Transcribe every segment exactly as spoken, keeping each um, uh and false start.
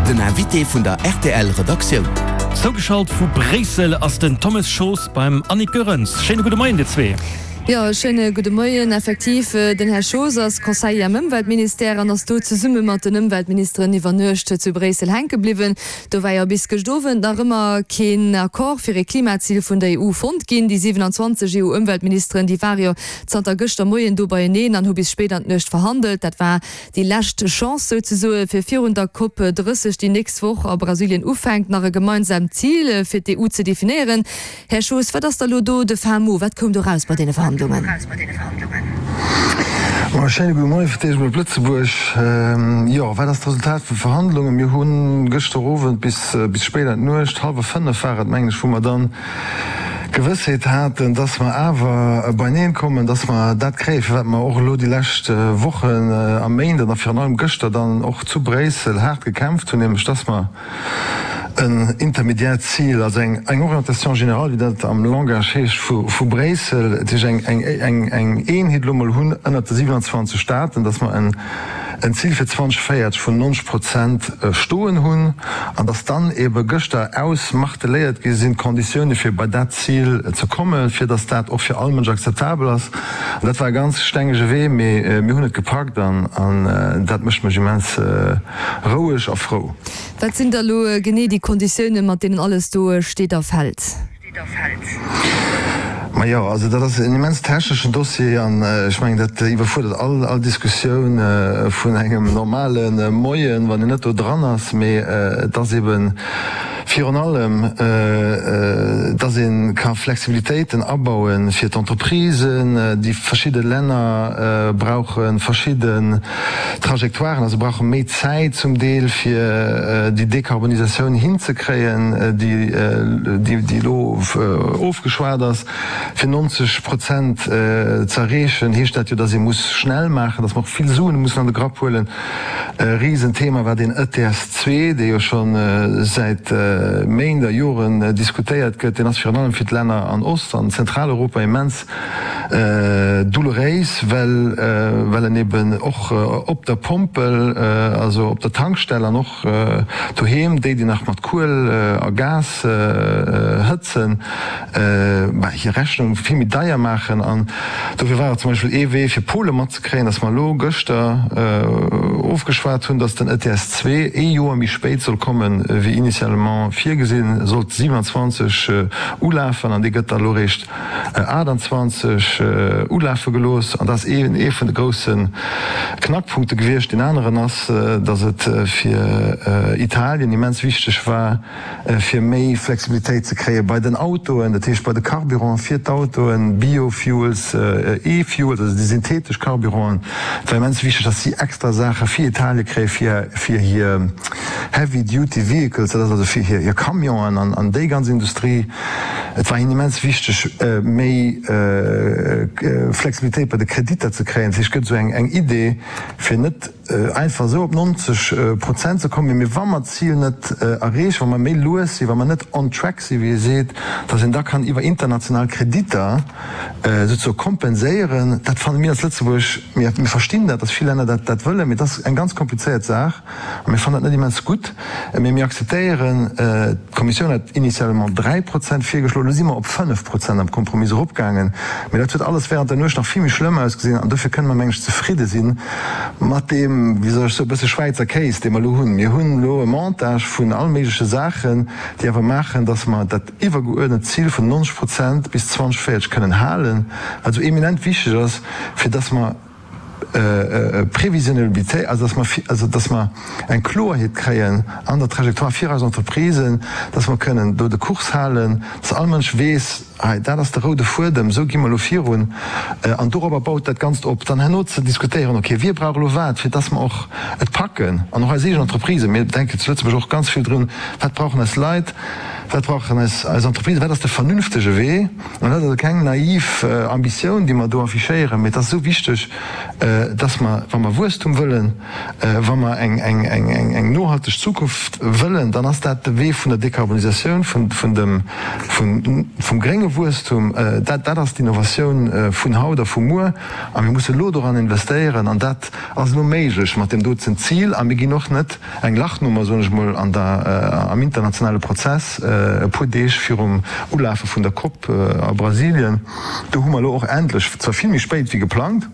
Den Invité vun der R T L Redaktioun. Zougeschalt vu Bréissel ass den Thomas Schoos beim Annick Goerens. Schéine gudde Moien dir zwee. Jo, schéine gudde Moien. Effektiv, den Här Schoos ass Conseiller am Ëmweltministère an ass do zesumme mat den Ëmweltministeren iwwer Nuecht zu Bréissel hänke bliwwen. Do war jo bis gëscht Owend nach ëmmer keen Accord fir e Klimazil vun der E U fonnt ginn. Déi siewenanzwanzeg E U-Ëmweltministeren, déi ware jo zanter gëschter Moien do beieneen an hu bis spéit an d'Nuecht verhandelt. Dat war déi lescht Chance souzesoe fir virun der COP drësseg, déi nächst Woch a Brasilien ufänkt, nach e gemeinsaamt Zil fir d'E U ze definéieren. Här Schoos, wat ass da lo do de fin mot? Wat koum do raus bei deene Verhandlungen? Ma schéine gudde Moie fir d'éischt mol op Lëtzebuerg. Jo, wat ass d'Resultat vun Verhandlungen? Mir hu gëschter Owend bis bis spéit an d'Nuecht, hallwer fënnef war et mengen ech, wou mer dann Gewëssheet haten, dass mer awer beineen kommen, dass mer dat kréien, fir wat mer och elo déi lescht Wochen a Méint an a virun allem gëschter dann och zu Bréissel haart gekämpft hunn, nämlech dass mer en intermediäert Zil, also eng eng Orientation générale, wéi dat am Langage heescht, vu vu Bréissel, dat heescht eng eng eng eng Eenheet elo mol hunn ënnert de siewenanzwanzeg Staaten, dass mer en en Zil fir zweedausendvéierzeg vun neunzeg Prozent stoen hunn an dass dann ebe gëschter ausmarteléiert gi sinn d'Konditioune fir bei dat Zil ze kommen, fir dass dat och fir all Mënsch akzeptabel ass. An dat war e ganz stengege Wee, mee mir hunn et gepackt an an dat mécht mech immens roueg a frou. Wat sinn da lo genee déi Konditioune mat deenen alles do steet a fält? Majo, also dat ass en immens techneschen Dossier an ech mengen, dat iwwerfuerdert all all Diskussioun vun engem normale Moien, wann een net do dran ass. Mee et ass eeben virun allem, dass ee ka Flexibilitéiten abaue fir d'Entreprisen. Déi verschidde Länner brauche verschidden Trajectoiren, also brauche méi Zäit zum Deel, fir déi Dekarbonisatioun hinzekréien, déi déi elo ofgeschwat ass. Fir neunzeg Prozent ze erreechen, heescht dat jo, dass ee muss schnell maachen, dass mer och vill Suen mussen an de Grapp huelen. E Risenthema war deen E T S zwee, dee jo scho säit Méint a Joren diskutéiert gëtt. Deen ass virun allem fir d'Länner an Ost an Zentraleuropa immens doulouréis, well well en eben och op der Pompel, also op der Tankstell an och doheem, déi, déi nach mat Kuel a Gas hëtzen, bah, hir Rechnung vill méi deier maachen. An dofir war et zum Beispill ee Wee, fir Pole matzekréien, dass mer elo gëschter ofgeschwat hunn, dass den E T S zwee ee Joer méi spéit soll kommen, wéi initialement virgesinn, sollt siewenanzwanzeg ulafen an dee gëtt da elo eréischt aachtanzwanzeg ulafe gelooss. An dat ass ee ee vun de grousse Knackpunkte gewiescht. Deen aneren ass, dass et fir Italien immens wichteg war, fir méi Flexibilitéit ze kréie bei den Autoen, dat heescht bei de Carburant fir d'Autoen, Biofuels, E-Fuels, also déi synthetesch Carburanten. Et war immens wichteg, dass si extra Saache fir Italien kréie fir fir hir Heavy-Duty Vehicles, dat ass also fir hir Camionen an an déi ganz Industrie. Et war hinnen immens wichteg, méi Flexibilitéit bei de Kreditter ze kréien. Dat heescht, et gëtt esou eng eng Idee, fir net einfach esou op neunzeg Prozent ze kommen, mee wa mer d'Zil net erreechen, wa mer méi lues sinn, wa mer net on track sinn, wéi ee seet, dass een da kann iwwer international Kreditter souzesoe kompenséieren. Dat fanne mir als Lëtzebuerg, mir verstinn dat, dass vill Länner dat dat wëllen, mee et ass eng ganz komplizéiert Saach a mir fannen dat net immens gutt. Mee mir akzeptéieren, d'Kommissioun hat initialement dräi Prozent virgeschloen, elo si mer op fënnef Prozent am Kompromiss eropgaangen, mee dat huet alles während der Nuecht nach vill méi schlëmm ausgesinn an dofir kënne mer, meng ech, zefridde si mat deem, wéi soll ech soen, e bësse Schwäizer Kéis, dee mer elo hunn. Mir hunn elo e Montage vun all méigleche Saachen, déi awer maachen, dass mer dat iwwergeuerdent Zil vun neunzeg Prozent bis zweedausendvéierzeg kënnen halen, wat esou eminent wichteg ass, fir dass mer Prévisionnabilité, also dass mer, also dass mer eng Kloerheet kréien an der Trajectoire fir eis Entreprisen, dass mer kënnen do de Kurs halen, dass all Mënsch weess, hei dat ass de roude Fuedem, esou gi mer elo virun an dorobber baut dat Ganzt op. Dann herno ze diskutéieren, okay, wie brauch elo wat, fir dass mer och et packen an och eis eegen Entreprisen, mir denken zu Lëtzebuerg och ganz vill drun, wat brauchen eis Leit, Wat brauchen eis eis Entreprisen? Wat ass de vernünftege Wee? An dat ass also keng naiv Ambitioun, déi mer do affichéieren, mee et ass esou wichteg, dass mer, wa mer Wuesstum wëllen, wa mer eng eng eng eng eng nohalteg Zukunft wëllen, dann ass dat de Wee vun der Dekarbonisatioun, vun vun dem vun vum grénge Wuesstum. Dat dat ass d'Innovatioun vun haut a vu muer. A mir musse elo doran investéieren. An dat ass elo méiglech mat deem dozen Zil. A mir ginn och net eng Lachnummer, soen ech mol, an der am internationale Prozess e puer Deeg virum Ulafe vun der Cop a Brasilien. Do hu mer elo och endlech, zwar vill méi spéit wéi geplangt,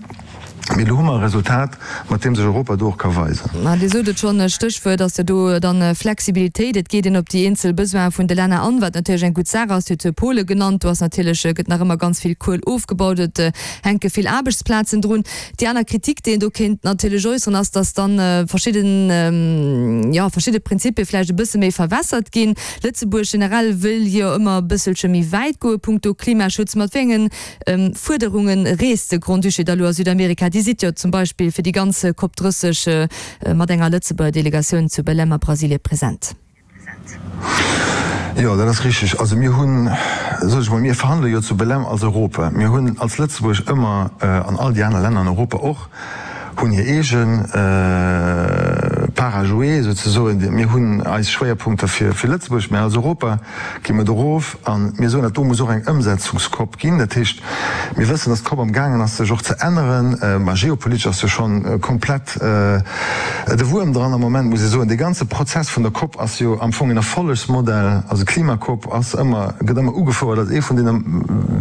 mee elo hu mer e Resultat, mat deem sech Europa do och ka weisen. Mä Dir sot et schonn, e Stéchwuert ass jo do dann Flexibilitéit. Et geet een op déi eenzel Besoine vun de Länner an, wat natierlech eng gutt Saach ass. Dir hutt Pole genannt, do ass natierlech, gëtt nach ëmmer ganz vill Kuel ofgebaut, et hänke vill Aarbechtsplazen drun. Déi aner Kritik, déi een do kéint natierlech äusseren, ass, datt dann verschidden, jo, verschidde Prinzipie vläicht e bësse méi verwässert ginn. Lëtzebuerg generell wëll jo ëmmer e bësselche méi wäit goe punkto Klimaschutz. Mat wéi engen Fuerderunge reest de Grand-Duché da lo a Südamerika? Dir sidd jo zum Beispill fir déi ganz Cop drësseg mat enger Lëtzebuerger Delegatioun zu Belém a Brasilie present. Jo, dat ass richteg. Also mir hunn, soen ech mol, mir verhandele jo zu Belém als Europa. Mir hunn als Lëtzebuerg ëmmer, an all déi aner Länner an Europa och, hunn hir eege Part à jouer souzesoen. Mir hunn eis Schwéierpunkter fir Lëtzebuerg, mä als Europa gi mer do erof a mir soen, dat do muss och eng Ëmsetzungscop ginn. Dat heescht, mir wëssen, datt d'Cop amgaangen ass sech och ze änneren. Mä geopolitesch ass jo schonn komplett de Wuerm dran am Moment, muss ee soen. Dee ganze Prozess vun der Cop ass jo am Fong en Erfollegsmodell. Also d'Klimacop ass ëmmer, gëtt ëmmer ugefouert als ee vun deene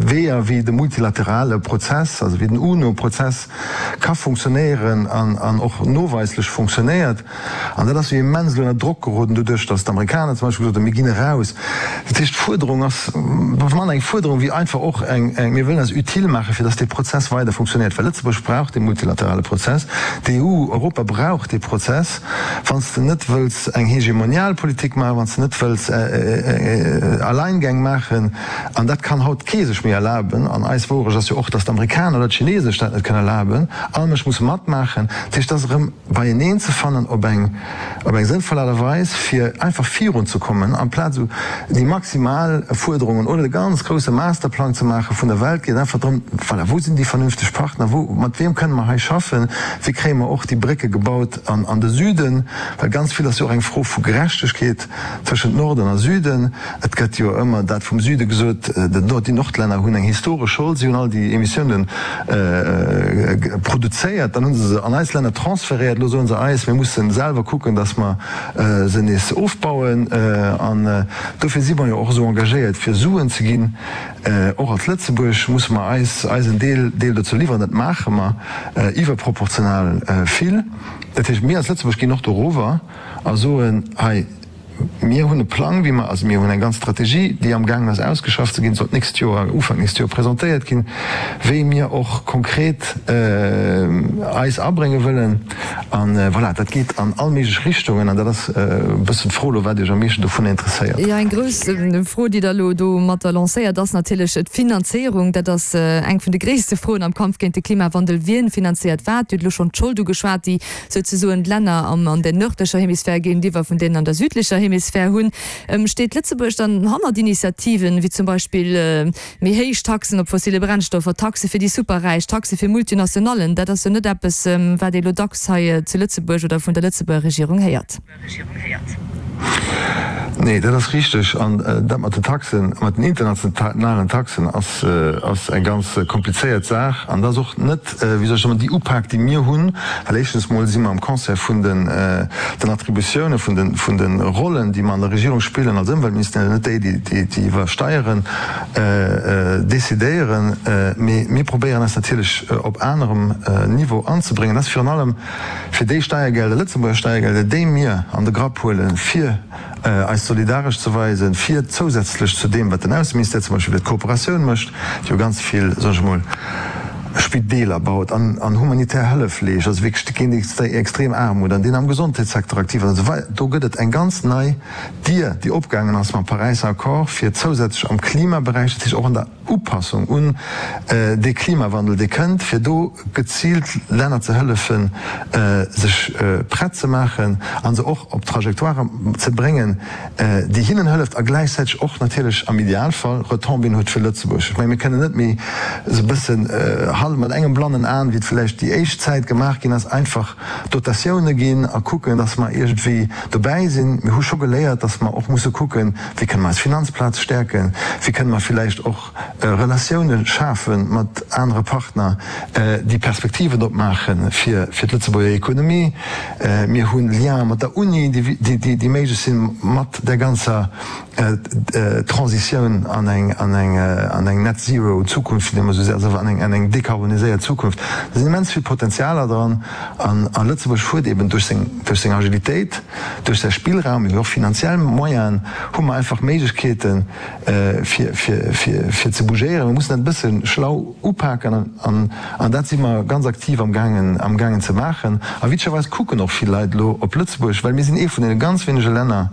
Weeër, wéi de multilaterale Prozess, also wéi den UNO-Prozess ka funktionéieren an och noweislech funktionéiert. An dat ass jo immens elo ënner Drock geroden doduerch, datt d'Amerikaner zum Beispill gesot hunn, mir ginn eraus. Dat heescht, d'Fuerderung ass manner eng Fuerderung wéi einfach och eng, mir wëllen eis utile maachen, fir datt dee Prozess weider funktionéiert. Well Lëtzebuerg brauch dee multilaterale Prozess, d'E U, Europa brauch dee Prozess. Wann s de net wëlls eng hegemonial Politik maachen, wann s de net wëlls Alleingäng maachen, an dat kann haut kee sech méi erlaben, an eis Wourecht ass jo och, datt d'Amerikaner oder d'Chinesen sech dat net kënnen erlaben, all Mënsch muss matmaachen. Dat heescht, et ass erëm beieneen ze fannen op eng op eng sënnvoll Aart a Weis, fir einfach virunzekommen, amplaz esou déi maximal Fuerderungen oder de ganz grousse Masterplang ze maache vun der Welt. Geet einfach drëm, voilà, wou sinn déi vernünfteg Partner, wou, mat wiem kënne mer hei schaffen, wéi kréie mer och déi Brécke gebaut an an de Süden, well ganz vill ass jo och eng Fro vu Gerechtegkeet tëschent Norden a Süden. Et gëtt jo ëmmer dat vum Süde gesot, den Nord, déi Nordlänner hunn eng historesch Schold, si hunn all déi Emissiounen produzéiert, dann hu se se an eis Länner transferéiert, elo soe se eis, mir musse selwer kucken, datt mer se nees ofbauen. An dofir si mer jo och esou engagéiert, fir Suen ze ginn. Och als Lëtzebuerg musse mer eis eisen Deel Deel dozou liwweren. Dat maache mer iwwerproportional vill. Dat heescht, mir als Lëtzebuerg ginn och dorower a soen, hei, mir hunn e Plang, wéi mer, also mir hunn eng ganz Strategie, déi amgaangen ass ausgeschafft ze ginn, soll d'nächst Joer, Ufank nächst Joer presentéiert ginn, wéi mir och konkret eis abrénge wëllen. A voilà, dat geet an all méiglech Richtungen an dat ass e bëssen d'Fro elo, wat Iech am meeschten dovunner interesséiert. Jo, eng grouss Fro, déi Der elo domatter lancéiert, ass natierlech d'Finanzéierung. Dat ass eng vun de gréisste Froen am Kampf géint de Klimawandel. Wien finanzéiert wat? Dir hutt elo schonn d'Schold ugeschwat, déi souzesoen d'Länner an der nërdlecher Hemisphär géintiwwer vun deenen an der südlecher Hemisphär hunn. Steet Lëtzebuerg dann hannert Initiativen, wéi zum Beispill méi héich Taxen op fossile Brennstoffer, Taxe fir déi Superräich, Taxe fir Multinationallen? Dat ass jo net eppes, wat ee lo dacks hei zu Lëtzebuerg oder vun der Lëtzebuerger Regierung héiert. Nee, dat ass richteg. An dat mat den Taxen, mat den internationalen Taxen ass, ass eng ganz komplizéiert Saach. An dat ass och net, wéi soll ech soen, déi Upak, déi mir hunn. Well éischtens mol si mer am Concert vun den, den Attributiounen, vun den, vun de Rollen, déi mer an der Regierung spillen als Ëmweltministère, net déi, déi, déi iwwer Steieren decidéieren. Mee mir probéieren eis natierlech op anerem Niveau anzebréngen. Dat ass virun allem fir déi Steiergelder, Lëtzebuerger Steiergelder, déi mir an de Grapp huelen, fir eis solidaresch ze weisen, fir zousätzlech zu deem, wat den Ausseministère zum Beispill fir d'Kooperatioun mécht, déi jo ganz vill, soen ech emol, Spideeler baut an an humanitär Hëllef leescht, also wierklech géint déi extrem Aarmut, an deen am Gesondheetssecteur aktiv ass an esou weider. Do gëtt et eng ganz nei Dier, déi opgaangen ass mam Paräisser Accord, fir zousätzlech am Klimaberäich, dat heescht och an der Upassung un dee Klimawandel, dee kënnt, fir do geziilt Länner ze hëllefen, sech prett ze maachen a se och op Trajectoiren ze bréngen, déi hinnen hëlleft a gläichzäiteg och natierlech am Idealfall Retombéeën huet fir Lëtzebuerg. Ech menge mir kënnen net méi esou e bëssen hal mat engem blannen Aen, wéi et vläicht déi éischt Zäit gemaach ginn ass, einfach Dotatioune ginn a kucken, datt mer iergendwéi dobäi sinn. Mir hu scho geléiert, datt mer och musse kucken, wéi kënne mer eis Finanzplaz stäerken, wéi kënne mer villäicht och Relatioune schafe mat anere Partner, déi Perspektiven opmaache fir d'Lëtzebuerger Ekonomie. Mir hu Liene mat der Uni, déi méiglech sinn, mat där ganzer Transitioun an eng Net-Zero-Zukunft, déi mer esou also an eng dekarboniséiert Zukunft. Do sinn immens vill Potenzialer dran. A Lëtzebuerg huet eben duerch seng Agilitéit, duerch säi Spillraum, mee och finanziell Moyenen, hu mer einfach Méiglechkeeten, fir ze bougéieren. Mir mussen dat e bësse schlau upaken an dat si mer ganz aktiv amgaangen ze maachen. A witzegerweis kucken och vill Leit elo op Lëtzebuerg, well mir sinn ee vun deene ganz wéinege Länner,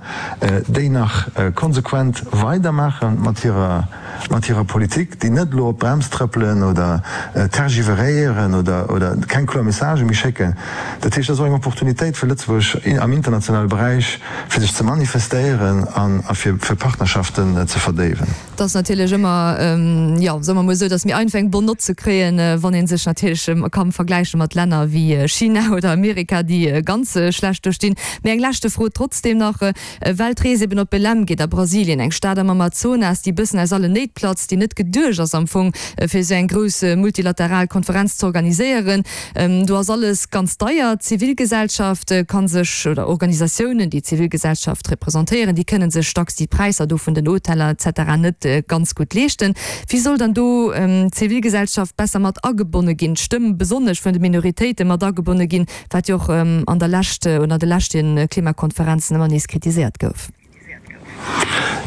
déi nach konsequent weidermaache mat hirer mat hirer Politik, déi net elo op d'Brems trëppelen oder tergiveréieren oder keng kloer Messagë méi schécken. Dat heescht, dat ass och eng Opportunitéit fir Lëtzebuerg am internationale Beräich, fir sech ze manifestéieren a fir Partnerschaften ze verdéiwen. Et ass natierlech ëmmer, jo, soe mer emol esou, et ass méi einfach eng bonne note ze kréien, wann ee sech natierlech ka vergläiche mat Länner wéi China oder Amerika, déi ganz schlecht do stinn. Mee eng leschte Fro trotzdem nach, well d'Rees eben op Belém geet a Brasilien, eng Stad am Amazonas, déi e bëssen aus allen Néit platzt, déi net geduecht ass am Fong, fir esou eng grouss multilateral Konferenz ze organiséieren. Do ass alles ganz deier. D'Zivilgesellschaft ka sech, oder Organisatiounen, déi d'Zivilgesellschaft representéieren, déi kënne sech dacks déi Präisser do vun den Hoteller et cetera net ganz gutt leeschten. Wéi soll dann do d'Zivilgesellschaft besser mat agebonne ginn, d'Stëmm besonnesch vun de Minoritéite mat agebonne ginn, wat jo och an der Lescht oder an de leschte Klimakonferenzen ëmmer nees kritiséiert gouf?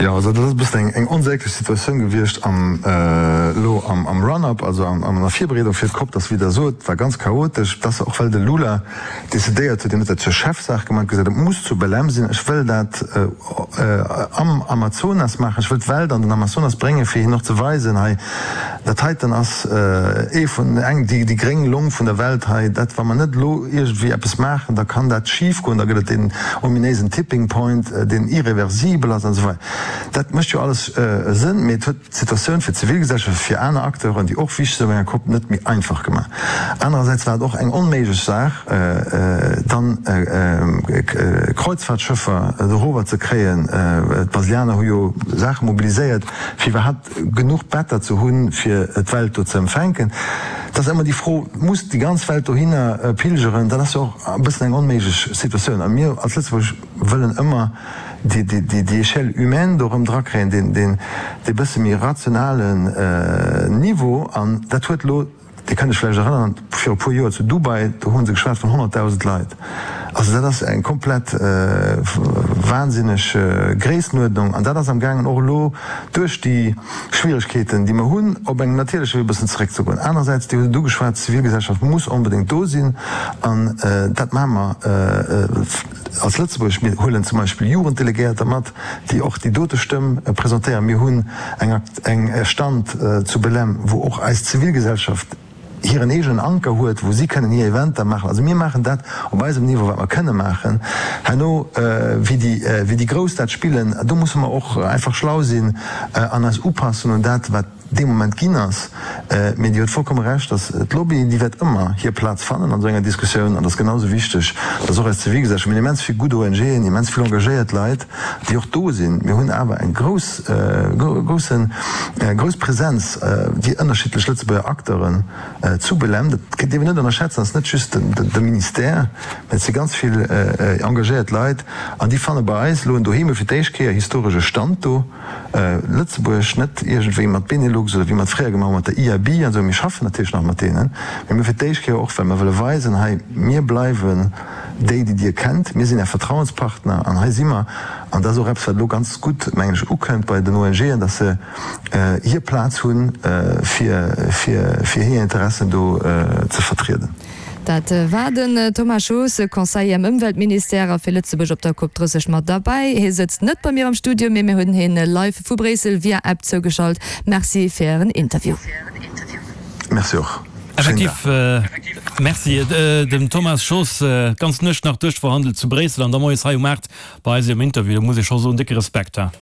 Jo, also dat ass e bëssen eng eng onsäglech Situatioun gewiescht am elo am am Run-up, also am an der Virbereedung fir d'COP. Dat ass, wéi Der sot, war ganz chaotesch. Dat ass och well de Lula decidéiert huet, hien huet dat zur Chefsaach gemaach, huet gesot, et muss zu Belém sinn, ech wëll dat am Amazonas maachen, ech wëll d'Welt an den Amazonas bréngen, fir hinnen och ze weisen, hei dat heiten ass ee vun eng déi déi gréng Long vun der Welt hei, dat wa mer net elo iergendwéi eppes maachen, da kann dat schif goen, da gëtt et deen ominéisen Tipping Point, deen irreversibel ass an esou weider. Dat mécht jo alles Sënn, mee et huet d'Situatioun fir d'Zivilgesellschaft, fir aner Acteuren, déi och wichteg sinn op enger Kopp, net méi einfach gemaach. Anerersäits war et och eng onméiglech Saach, dann Kreuzfahrtschëffer dorower ze kréien. D'Brasilianer hu jo Saache mobiliséiert, fir iwwerhaapt genuch Better ze hunn, fir d'Welt do ze empfänken. Et ass ëmmer déi Fro, Muss déi ganz Welt dohinner pilgeren? Dat ass jo och e bëssen eng onméiglech Situatioun. A mir als Lëtzebuerg wëllen ëmmer déi Échelle humaine do erëm drakréien, deen dee bësse méi rationalen Niveau. An dat huet elo, Dir kënnt Iech vläicht erënneren, viru e puer Joer zu Dubai, do hu se geschwat vun honnertdausend Leit. Also dat ass eng komplett wahnsinneg Gréisstenuerdnung. An dat ass amgaangen och elo duerch déi Schwieregkeeten, déi mer hunn, op engem natierleche Wee e bëssen zeréckzegoen. Anerersäits, Dir hutt et ugeschwat, d'Zivilgesellschaft muss onbedéngt do sinn. An dat maache mer als Lëtzebuerg. Mir huelen zum Beispill Jugenddelegéierter mat, déi och déi dote Stëmm presentéieren. Mir hunn eng eng Stand zu Belém, wou och eis Zivilgesellschaft hiren eegenen Anker huet, wou si kënnen hir Eventer maachen. Also mir maachen dat op eisem Niveau, wat mer kënne maachen. Herno, wéi déi, wéi déi Grouss dat spillen, do musse mer och einfach schlau sinn an eis upassen un dat, wat dee Moment ginn ass. Mee Dir hutt vollkomme Recht, dass d'Lobby, déi wäert ëmmer hir Plaz fannen an esou enger Diskussioun. An et ass genau esou wichteg, dass och eis Zivilgesellschaft, mir hunn immens vill gutt ONGen, immens vill engagéiert Leit, déi och do sinn. Mir hunn awer eng grouss, groussen, grouss Präsenz, déi ënnerschiddlech Lëtzebuerger Acteuren zu Belém. Dat dierf een net ënnerschätzen. Dat ass net just de Ministère, mä et si ganz vill engagéiert Leit. An déi fanne bei eis elo en Doheem, fir d'éischt Kéier historesch e Stand do. Lëtzebuerg, net iergendwéi mat Benelux oder wéi mer et fréier gemaach hu mat der I A B an esou. Mir schaffen natierlech nach mat deenen, mee mir fir d'éischt Kéier och, well mer wëlle weisen, hei, mir bleiwen déi, déi Dir kennt, mir sinn Är Vertrauenspartner an hei si mer. An dat ass och eppes, wat elo ganz gutt, mengen ech, ukënnt bei den ONGen, dass se hir Plaz hunn, fir fir hir Interessen do ze vertrieden. Dat war den Thomas Schoos, Conseiller am Ëmweltministère a fir Lëtzebuerg op der Cop drësseg mat derbäi. Hie sëtzt net bei mir am Studio, mee mir hunn hien live vu Bréissel via App zougeschalt. Merci fir Ären Interview. Merci och. Effektiv, Merci dem Thomas Schoos. D'ganz Nuecht nach duerchverhandelt zu Bréissel an da moies hei um aacht bei eis um Interview. Do muss ee scho soen, décke Respekt.